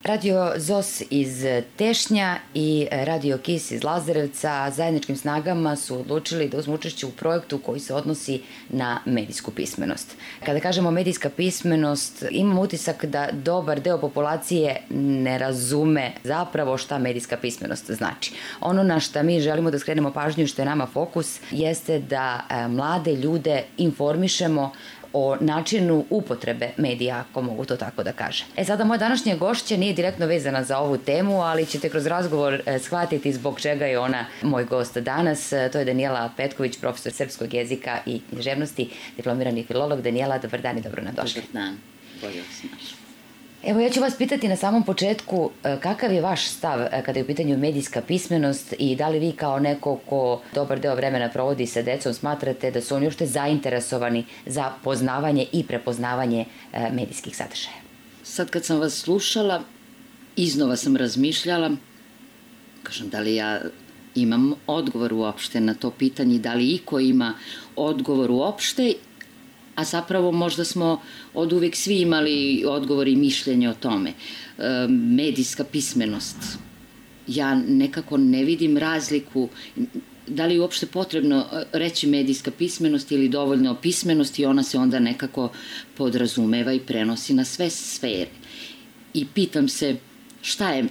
Radio ZOS iz Tešnja i Radio KIS iz Lazarevca zajedničkim snagama su odlučili da uzmu učešće u projektu koji se odnosi na medijsku pismenost. Kada kažemo medijska pismenost, imam utisak da dobar deo populacije ne razume zapravo šta medijska pismenost znači. Ono na šta mi želimo da skrenemo pažnju, što je nama fokus, jeste da mlade ljude informišemo o načinu upotrebe medija, ako mogu to tako da kažem. Sada, moja današnja gošća nije direktno vezana za ovu temu, ali ćete kroz razgovor shvatiti zbog čega je ona moj gost danas. To je Danijela Petković, profesor srpskog jezika i književnosti, diplomirani filolog. Danijela, dobar dan i dobro nam došli. Dobar dan, bolje vas našla. Evo, ja ću vas pitati na samom početku kakav je vaš stav kada je u pitanju medijska pismenost i da li vi kao neko ko dobar deo vremena provodi sa decom smatrate da su oni uopšte zainteresovani za poznavanje i prepoznavanje medijskih sadržaja? Sad kad sam vas slušala, iznova sam razmišljala, kažem, da li ja imam odgovor uopšte na to pitanje, da li iko ima odgovor uopšte, a zapravo možda smo od uvek svi imali odgovor i mišljenje o tome. Medijska pismenost. Ja nekako ne vidim razliku, da li je uopšte potrebno reći medijska pismenost ili dovoljno pismenost i ona se onda nekako podrazumeva i prenosi na sve sfere. I pitam se šta je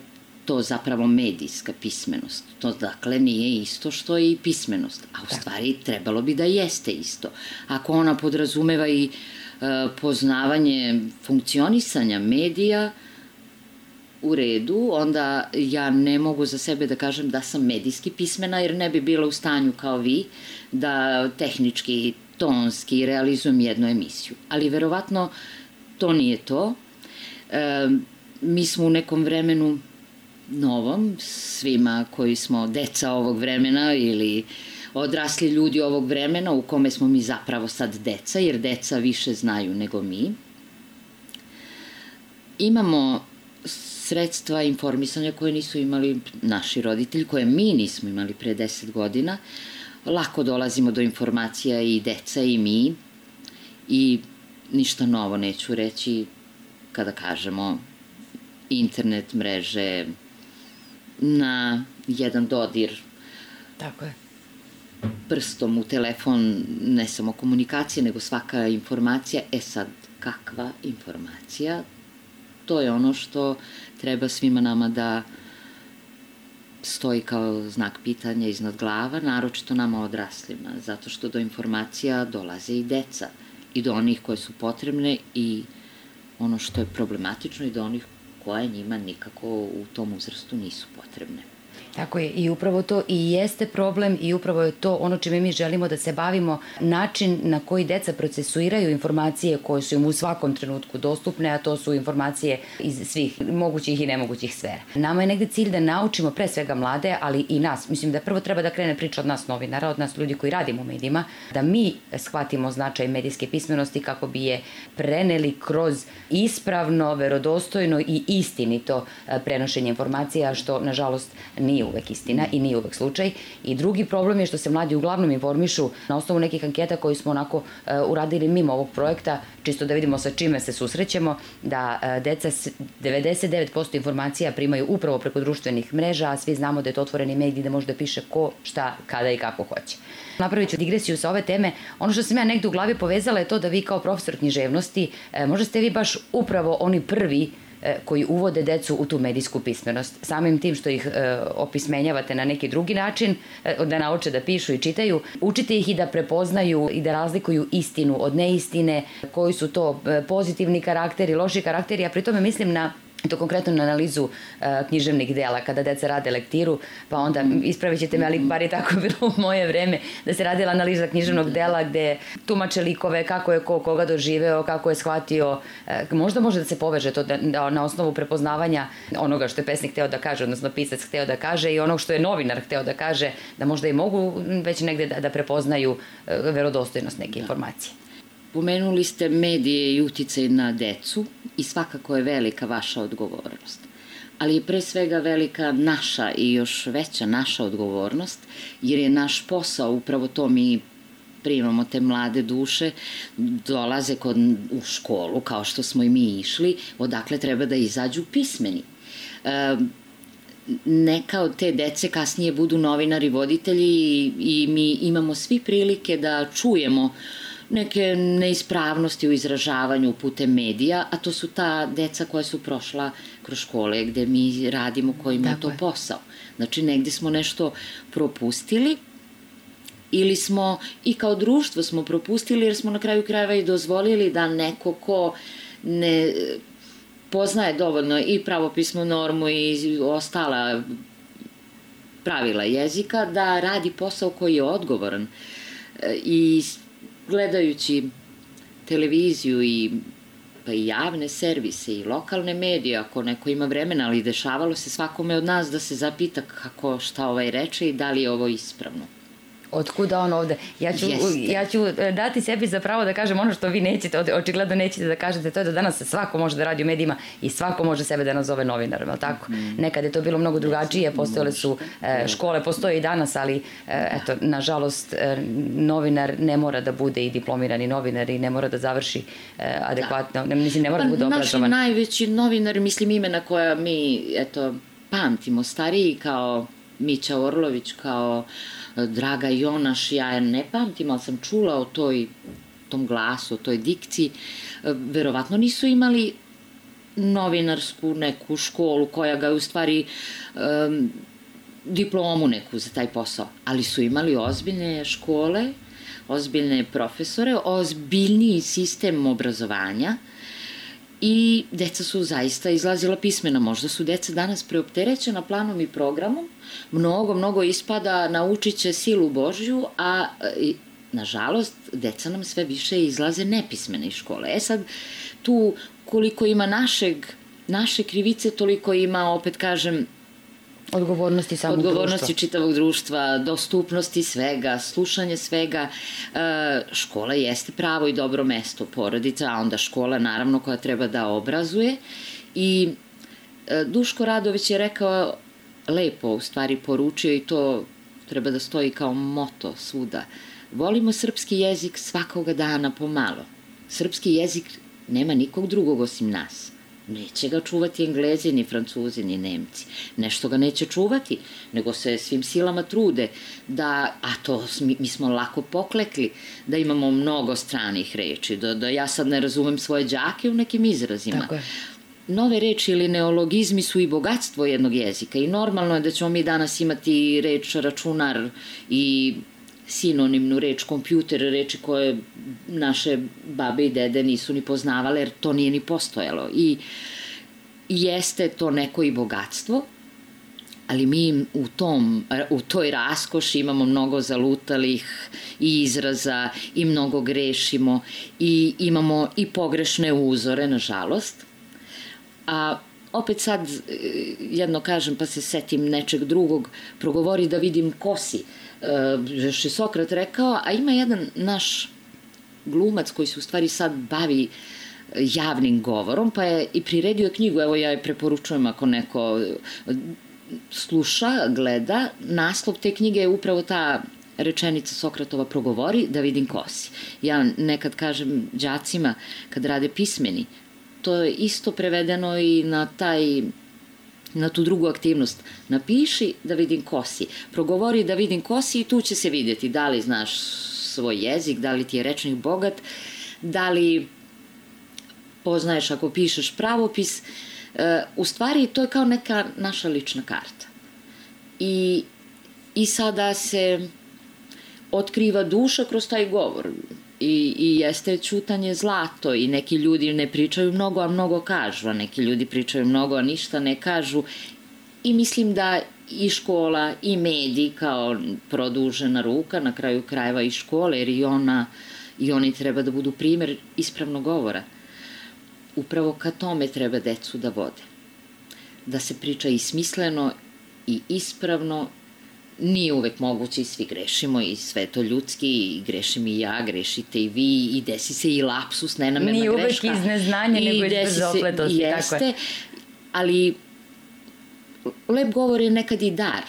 to zapravo medijska pismenost. To dakle nije isto što i pismenost, a u stvari trebalo bi da jeste isto. Ako ona podrazumeva i poznavanje funkcionisanja medija, u redu, onda ja ne mogu za sebe da kažem da sam medijski pismena, jer ne bi bila u stanju kao vi da tehnički, tonski realizujem jednu emisiju. Ali verovatno to nije to. Mi smo u nekom vremenu novom, svima koji smo deca ovog vremena ili odrasli ljudi ovog vremena u kome smo mi zapravo sad deca, jer deca više znaju nego mi. Imamo sredstva informisanja koje nisu imali naši roditelji, koje mi nismo imali pre 10 godina. Lako dolazimo do informacija i deca i mi i ništa novo neću reći kada kažemo internet, mreže, na jedan dodir. Tako je. Prstom u telefon, ne samo komunikacije, nego svaka informacija. Sad, kakva informacija? To je ono što treba svima nama da stoji kao znak pitanja iznad glava, naročito nama odraslima, zato što do informacija dolaze i deca i do onih koje su potrebne i ono što je problematično i do onih koje njima nikako u tom uzrastu nisu potrebne. Tako je, i upravo to i jeste problem i upravo je to ono čime mi želimo da se bavimo, način na koji deca procesuiraju informacije koje su im u svakom trenutku dostupne, a to su informacije iz svih mogućih i nemogućih sfera. Nama je negde cilj da naučimo pre svega mlade, ali i nas. Mislim da prvo treba da krene priča od nas novinara, od nas ljudi koji radimo u medijima, da mi shvatimo značaj medijske pismenosti kako bi je preneli kroz ispravno, verodostojno i istinito prenošenje informacija, što nažalost nije uvek istina i nije uvek slučaj. I drugi problem je što se mladi uglavnom informišu na osnovu nekih anketa koji smo onako uradili mimo ovog projekta, čisto da vidimo sa čime se susrećemo, da deca 99% informacija primaju upravo preko društvenih mreža, a svi znamo da je to otvoreni medij da može da piše ko, šta, kada i kako hoće. Napravit ću digresiju sa ove teme. Ono što sam ja negde u glavi povezala je to da vi kao profesor književnosti, možda ste vi baš upravo oni prvi koji uvode decu u tu medijsku pismenost. Samim tim što ih opismenjavate na neki drugi način, da nauče da pišu i čitaju, učite ih i da prepoznaju i da razlikuju istinu od neistine, koji su to pozitivni karakteri, loši karakteri, a pri tome mislim na to konkretno na analizu književnih dela, kada deca rade lektiru, pa onda ispravit ćete me, ali bar je tako bilo u moje vreme, da se radila analiza književnog dela gde tumače likove, kako je ko koga doživeo, kako je shvatio. Možda može da se poveže to da na osnovu prepoznavanja onoga što je pesnik hteo da kaže, odnosno pisac hteo da kaže i onog što je novinar hteo da kaže, da možda i mogu već negde da prepoznaju verodostojnost neke informacije. Pomenuli ste medije i uticaj na decu i svakako je velika vaša odgovornost. Ali je pre svega velika naša i još veća naša odgovornost, jer je naš posao upravo to. Mi primamo te mlade duše, dolaze u školu kao što smo i mi išli, odakle treba da izađu pismeni. Neka od te dece kasnije budu novinari, voditelji i mi imamo svi prilike da čujemo neke neispravnosti u izražavanju putem medija, a to su ta deca koja su prošla kroz škole gde mi radimo, kojima je to posao. Znači, negde smo nešto propustili ili smo i kao društvo smo propustili jer smo na kraju krajeva i dozvolili da neko ko ne poznaje dovoljno i pravopisnu normu i ostala pravila jezika da radi posao koji je odgovoran. I gledajući televiziju i pa i javne servise i lokalne medije, ako neko ima vremena, ali dešavalo se svakome od nas da se zapita kako, šta ovaj reče i da li je ovo ispravno. Otkuda on ovde? Ja ću dati sebi za pravo da kažem ono što vi nećete, očigledno nećete da kažete, to je da danas svako može da radi u medijima i svako može sebe da nazove novinarom, ali tako? Nekad je to bilo mnogo drugačije, postojale su škole, postoje i danas, ali eto, nažalost, novinar ne mora da bude i diplomirani novinar i ne mora da završi adekvatno, mislim, ne mora da bude obrazovan. Naši najveći novinari, mislim, imena koja mi, eto, pamtimo, stariji kao Mića Orlović, kao Draga Jonaš, ja ne pamtim, ali sam čula o tom glasu, o toj dikciji. Verovatno nisu imali novinarsku neku školu koja ga je u stvari diplomu neku za taj posao, ali su imali ozbiljne škole, ozbiljne profesore, ozbiljniji sistem obrazovanja i deca su zaista izlazila pismena. Možda su deca danas preopterećena planom i programom, mnogo ispada, naučit će silu Božju, a nažalost deca nam sve više izlaze nepismene iz škole. Sad, tu koliko ima naše krivice, toliko ima, opet kažem, odgovornosti samog društva. Odgovornosti čitavog društva, dostupnosti svega, slušanje svega. Škola jeste pravo i dobro mesto, porodica, a onda škola naravno koja treba da obrazuje. I Duško Radović je rekao lepo, u stvari poručio, i to treba da stoji kao moto svuda. Volimo srpski jezik svakoga dana pomalo. Srpski jezik nema nikog drugog osim nas. Neće ga čuvati Englezi, ni Francuzi, ni Nemci. Nešto ga neće čuvati, nego se svim silama trude da, a to mi smo lako poklekli, da imamo mnogo stranih reči, da ja sad ne razumem svoje đake u nekim izrazima. Tako je. Nove reči ili neologizmi su i bogatstvo jednog jezika i normalno je da ćemo mi danas imati reč računar i sinonimnu reč kompjuter, reči koje naše babe i dede nisu ni poznavale jer to nije ni postojalo. I jeste to neko i bogatstvo, ali mi u toj raskoši imamo mnogo zalutalih i izraza i mnogo grešimo i imamo i pogrešne uzore, nažalost. A opet sad jedno kažem pa se setim nečeg drugog, progovori da vidim ko si. Još je Sokrat rekao, a ima jedan naš glumac koji se u stvari sad bavi javnim govorom, pa je i priredio knjigu, evo ja je preporučujem ako neko sluša, gleda, naslov te knjige je upravo ta rečenica Sokratova progovori da vidim ko si. Ja nekad kažem đacima kad rade pismeni, to je isto prevedeno i na tu drugu aktivnost. Napiši da vidim ko si, progovori da vidim ko si i tu će se vidjeti da li znaš svoj jezik, da li ti je rečnik bogat, da li poznaješ ako pišeš pravopis. U stvari to je kao neka naša lična karta. I sada se otkriva duša kroz taj govor. I jeste ćutanje zlato i neki ljudi ne pričaju mnogo, a mnogo kažu, a neki ljudi pričaju mnogo, a ništa ne kažu. I mislim da i škola i mediji kao produžena ruka, na kraju krajeva i škole, jer i oni treba da budu primer ispravnog govora. Upravo ka tome treba decu da vode. Da se priča i smisleno i ispravno. Nije uvek moguće i svi grešimo i sve to ljudski i grešim i ja, grešite i vi i desi se i lapsus, nenamerna greška. Nije uvek iz neznanja, nego iz brzopletosti. Jeste, ali lep govor je nekad i dar.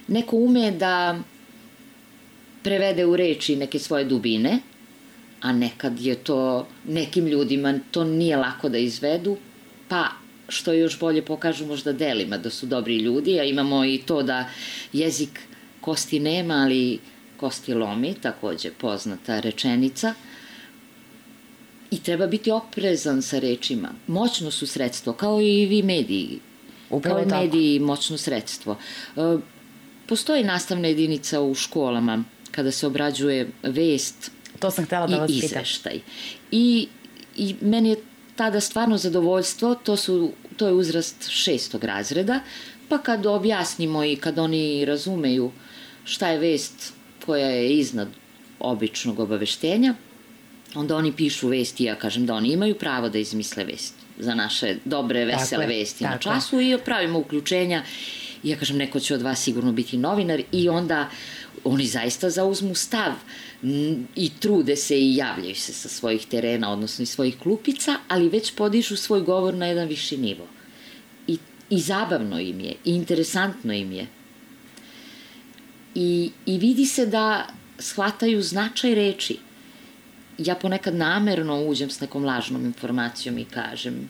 Neko ume da prevede u reči neke svoje dubine, a nekad je to, nekim ljudima to nije lako da izvedu, pa što još bolje pokažu možda delima da su dobri ljudi, a imamo i to da jezik kosti nema, ali kosti lomi, takođe poznata rečenica. I treba biti oprezan sa rečima. Moćno su sredstvo, kao i vi mediji. Upravo kao i mediji moćno sredstvo. Postoji nastavna jedinica u školama kada se obrađuje vest to sam htela da vas i izveštaj. I meni je tada stvarno zadovoljstvo, to je uzrast 6. razreda, pa kad objasnimo i kad oni razumeju šta je vest koja je iznad običnog obaveštenja, onda oni pišu vesti, ja kažem da oni imaju pravo da izmisle vest za naše dobre, vesele vesti na času i pravimo uključenja. Ja kažem, neko će od vas sigurno biti novinar i onda oni zaista zauzmu stav i trude se i javljaju se sa svojih terena, odnosno iz svojih klupica, ali već podižu svoj govor na jedan viši nivo. I zabavno im je, i interesantno im je. I vidi se da shvataju značaj reči. Ja ponekad namerno uđem s nekom lažnom informacijom i kažem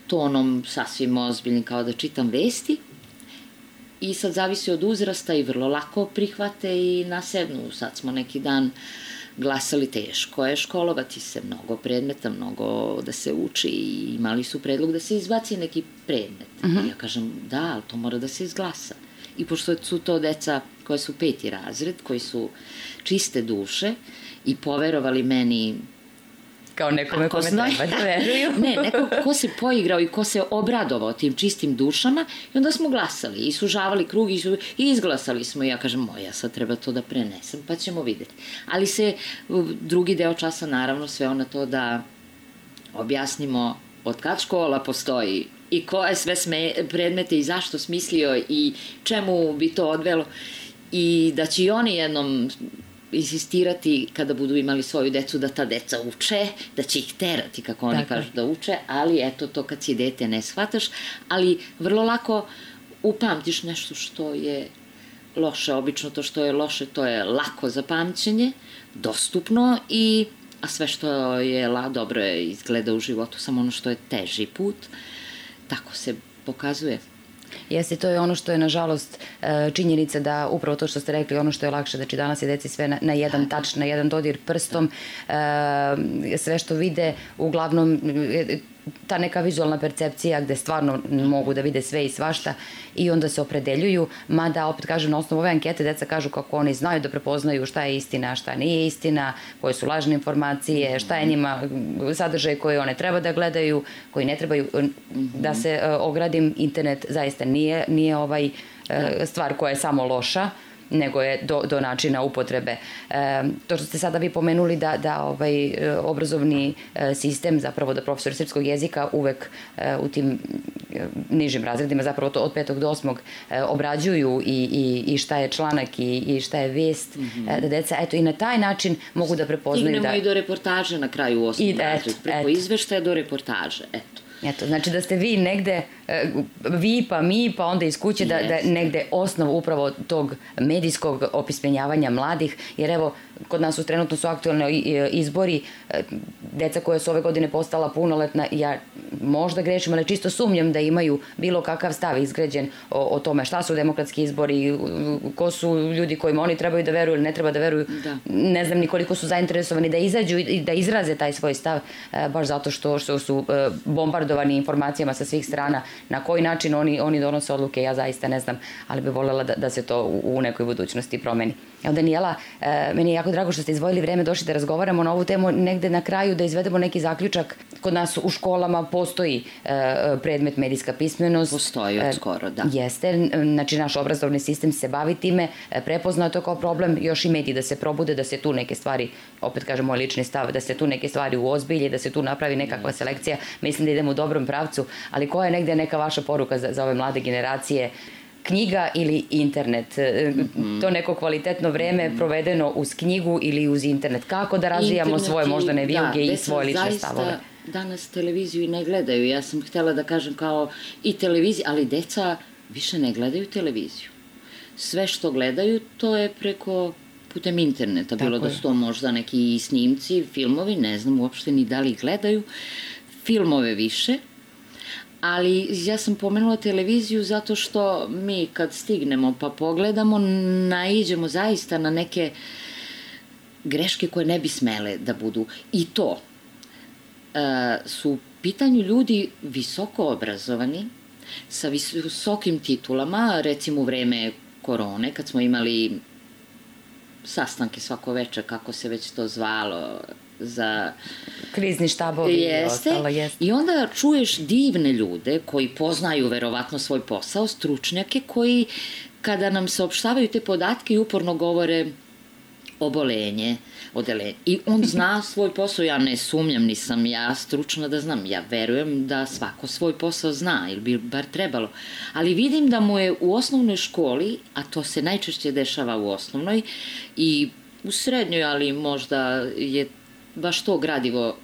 tonom sasvim ozbiljnim kao da čitam vesti i sad zavisi od uzrasta i vrlo lako prihvate i nasednu. Sad smo neki dan glasali, teško je školovati se, mnogo predmeta, mnogo da se uči i imali su predlog da se izbaci neki predmet. I ja kažem da, ali to mora da se izglasa. I pošto su to deca koje su 5. razred, koji su čiste duše i poverovali meni kao nekome kome treba da veruju. Ne, neko ko se poigrao i ko se obradovao tim čistim dušama i onda smo glasali i sužavali krug i izglasali smo i ja kažem, ja sad treba to da prenesem pa ćemo videti. Ali se drugi deo časa naravno sveo na to da objasnimo od kad škola postoji i koje sve predmete i zašto smislio i čemu bi to odvelo i da će i oni jednom insistirati kada budu imali svoju decu da ta deca uče, da će ih terati kako oni kažu da uče, ali eto to kad si dete ne shvataš, ali vrlo lako upamtiš nešto što je loše, obično to što je loše to je lako za pamćenje, dostupno a sve što je dobro je izgleda u životu, samo ono što je teži put, tako se pokazuje. Jeste, to je ono što je nažalost činjenica da upravo to što ste rekli, ono što je lakše, znači danas je deci sve na jedan tač, na jedan dodir prstom, sve što vide, uglavnom ta neka vizualna percepcija gde stvarno mogu da vide sve i svašta i onda se opredeljuju, mada opet kažem na osnovu ove ankete deca kažu kako oni znaju da prepoznaju šta je istina, šta nije istina, koje su lažne informacije, šta je njima sadržaj koje one treba da gledaju, koji ne trebaju. Da se ogradim, internet zaista nije stvar koja je samo loša, nego je do načina upotrebe. To što ste sada vi pomenuli da obrazovni sistem, zapravo da profesori srpskog jezika uvek u tim nižim razredima, zapravo to od 5. do 8. obrađuju i šta je članak i šta je vest, da deca eto i na taj način mogu da prepoznaju. Stignemo i do reportaže na kraju 8. razred, preko izveštaja do reportaže, eto. Eto, znači da ste vi negde, vi pa mi, pa onda iz kuće, da negde osnov upravo tog medijskog opismenjavanja mladih, jer evo, kod nas trenutno su aktualni izbori, deca koja su ove godine postala punoletna, ja možda grešim, ali čisto sumnjam da imaju bilo kakav stav izgrađen o tome šta su demokratski izbori, ko su ljudi kojima oni trebaju da veruju ili ne treba da veruju, ne znam ni koliko su zainteresovani da izađu i da izraze taj svoj stav, baš zato što su bombardovani informacijama sa svih strana. Na koji način oni donose odluke, ja zaista ne znam, ali bih voljela da se to u nekoj budućnosti promeni. Evo, Danijela, meni je jako drago što ste izdvojili vreme, došli da razgovaramo na ovu temu, negde na kraju da izvedemo neki zaključak. Kod nas u školama postoji predmet medijska pismenost. Postoji od skoro, da. Jeste, znači naš obrazovni sistem se bavi time, prepoznao to kao problem, još i mediji da se probude, da se tu neke stvari, opet kažem moj lični stav, da se tu neke stvari uozbilje, da se tu napravi nekakva selekcija. Mislim da idemo u dobrom pravcu, ali koja je negde neka vaša poruka za ove mlade generacije? Knjiga ili internet? To neko kvalitetno vreme provedeno uz knjigu ili uz internet? Kako da razvijamo svoje moždane vijuge i svoje lične stavove? Danas televiziju i ne gledaju. Ja sam htjela da kažem kao i televiziju, ali deca više ne gledaju televiziju. Sve što gledaju to je putem interneta. Bilo da su to možda neki snimci, filmovi, ne znam uopšte ni da li gledaju. filmove više, ali ja sam pomenula televiziju zato što mi kad stignemo pa pogledamo, naiđemo zaista na neke greške koje ne bi smele da budu. I to su u pitanju ljudi visoko obrazovani, sa visokim titulama, recimo u vreme korone, kad smo imali sastanke svako večer, kako se već to zvalo, za krizni štabovi i ostalo, jeste. I onda čuješ divne ljude koji poznaju verovatno svoj posao, stručnjake koji kada nam saopštavaju te podatke i uporno govore obolenje, odelenje. I on zna svoj posao, ja ne sumnjam, nisam ja stručna da znam, ja verujem da svako svoj posao zna, ili bi bar trebalo. Ali vidim da mu je u osnovnoj školi, a to se najčešće dešava u osnovnoj i u srednjoj, ali možda je baš to gradivo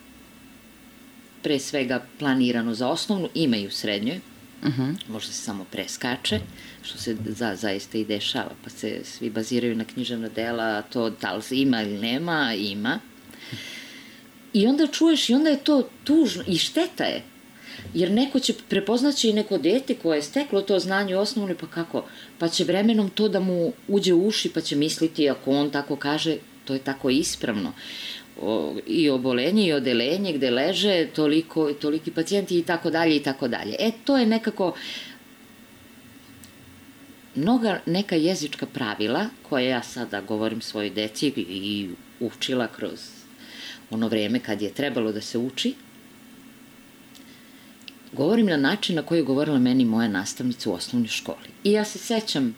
pre svega planirano za osnovnu, ima i u srednjoj, možda se samo preskače, što se zaista i dešava, pa se svi baziraju na književna dela, a to da li ima ili nema, ima. I onda čuješ i onda je to tužno i šteta je, jer neko će prepoznaći i neko dete koje je steklo to znanje u osnovnoj, pa kako? Pa će vremenom to da mu uđe u uši, pa će misliti, ako on tako kaže, to je tako ispravno. I obolenje i odelenje gde leže toliki pacijenti i tako dalje i tako dalje. To je nekako neka jezička pravila koje ja sada govorim svojoj deci i učila kroz ono vreme kad je trebalo da se uči. Govorim na način na koji je govorila meni moja nastavnica u osnovnoj školi. I ja se sećam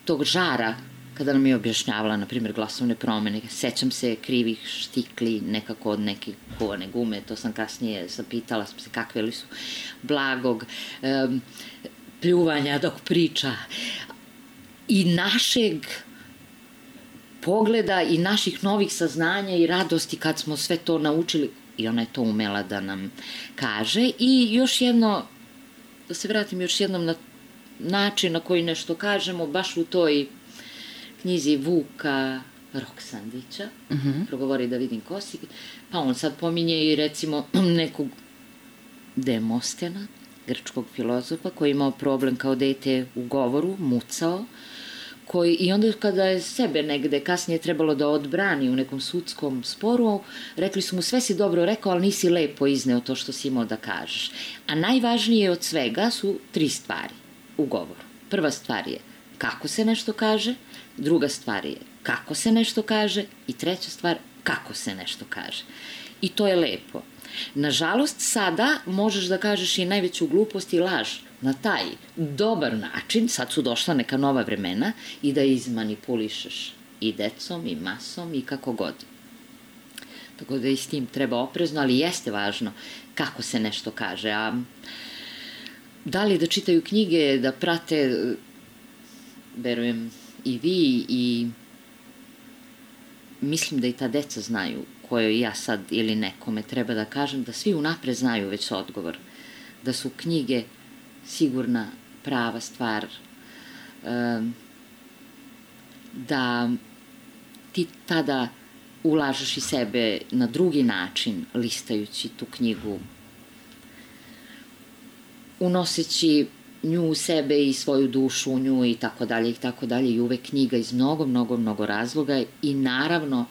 tog žara kada nam je objašnjavala, na primjer, glasovne promene. Sećam se krivih štikli, nekako od neke kovane gume, to sam kasnije zapitala sam se kakve li su, blagog, pljuvanja dok priča. I našeg pogleda i naših novih saznanja i radosti kad smo sve to naučili, i ona je to umela da nam kaže. I još jedno, da se vratim još jednom na način na koji nešto kažemo, baš u toj knjizi Vuka Roksandića, progovori da vidim ko si, pa on sad pominje i recimo nekog Demostena, grčkog filozofa, koji je imao problem kao dete u govoru, mucao, i onda kada je sebe negde kasnije trebalo da odbrani u nekom sudskom sporu, rekli su mu sve si dobro rekao, ali nisi lepo izneo to što si imao da kažeš. A najvažnije od svega su 3 stvari u govoru. Prva stvar je kako se nešto kaže, druga stvar je kako se nešto kaže i treća stvar kako se nešto kaže. I to je lepo. Nažalost, sada možeš da kažeš i najveću glupost i laž na taj dobar način, sad su došla neka nova vremena, i da izmanipulišeš i decom i masom i kako god. Tako da i s tim treba oprezno, ali jeste važno kako se nešto kaže. A da li da čitaju knjige, da prate, verujem i vi, i mislim da i ta deca znaju kojoj ja sad ili nekome treba da kažem, da svi unapred znaju već odgovor, da su knjige sigurna, prava stvar, da ti tada ulažeš i sebe na drugi način, listajući tu knjigu, unoseći nju u sebe i svoju dušu u nju i tako dalje, i uvek knjiga iz mnogo razloga. I naravno,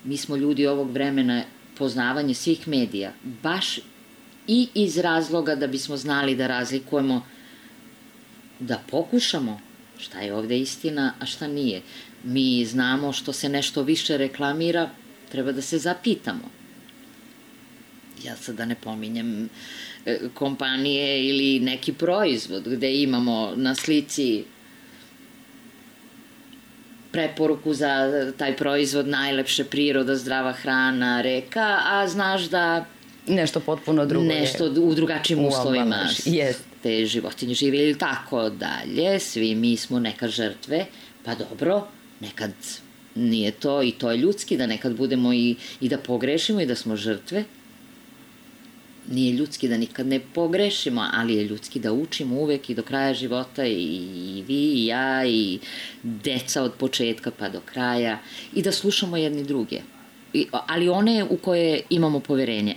mi smo ljudi ovog vremena, poznavanje svih medija, baš i iz razloga da bismo znali da razlikujemo, da pokušamo šta je ovde istina, a šta nije. Mi znamo što se nešto više reklamira, treba da se zapitamo. Ja sad da ne pominjem kompanije ili neki proizvod gde imamo na slici preporuku za taj proizvod, najlepše, priroda, zdrava hrana, reka, a znaš da nešto potpuno drugo je. Nešto u drugačijim uslovima te životinje žive ili tako dalje. Svi mi smo nekad žrtve, pa dobro, nekad nije to i to je ljudski, da nekad budemo i da pogrešimo i da smo žrtve. Nije ljudski da nikad ne pogrešimo, ali je ljudski da učimo uvek i do kraja života, i vi i ja i deca od početka pa do kraja, i da slušamo jedni druge. ali one u koje imamo poverenje.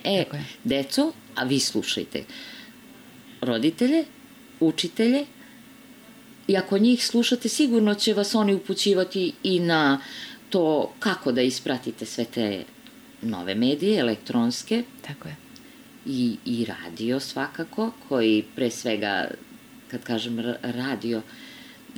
Deco, a vi slušajte. Roditelje, učitelje, i ako njih slušate, sigurno će vas oni upućivati i na to kako da ispratite sve te nove medije, elektronske. Tako je. I radio svakako, koji pre svega, kad kažem radio,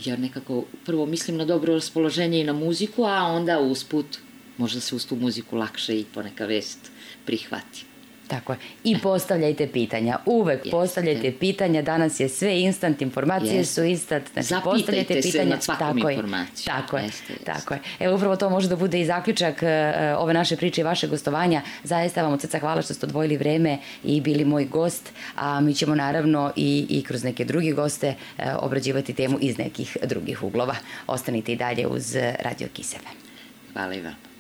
ja nekako prvo mislim na dobro raspoloženje i na muziku, a onda usput, možda se uz tu muziku lakše i poneka vest prihvati. Tako je. I postavljajte pitanja. Uvek postavljajte pitanja. Danas je sve instant, informacije su instant. Znači, zapitajte se nad svakom informacijom. Tako je. Evo, upravo to može da bude i zaključak ove naše priče i vaše gostovanja. Zaista vam od srca hvala što ste odvojili vreme i bili moj gost, a mi ćemo naravno i kroz neke druge goste obrađivati temu iz nekih drugih uglova. Ostanite i dalje uz Radio KISS FM. Hvala i vam.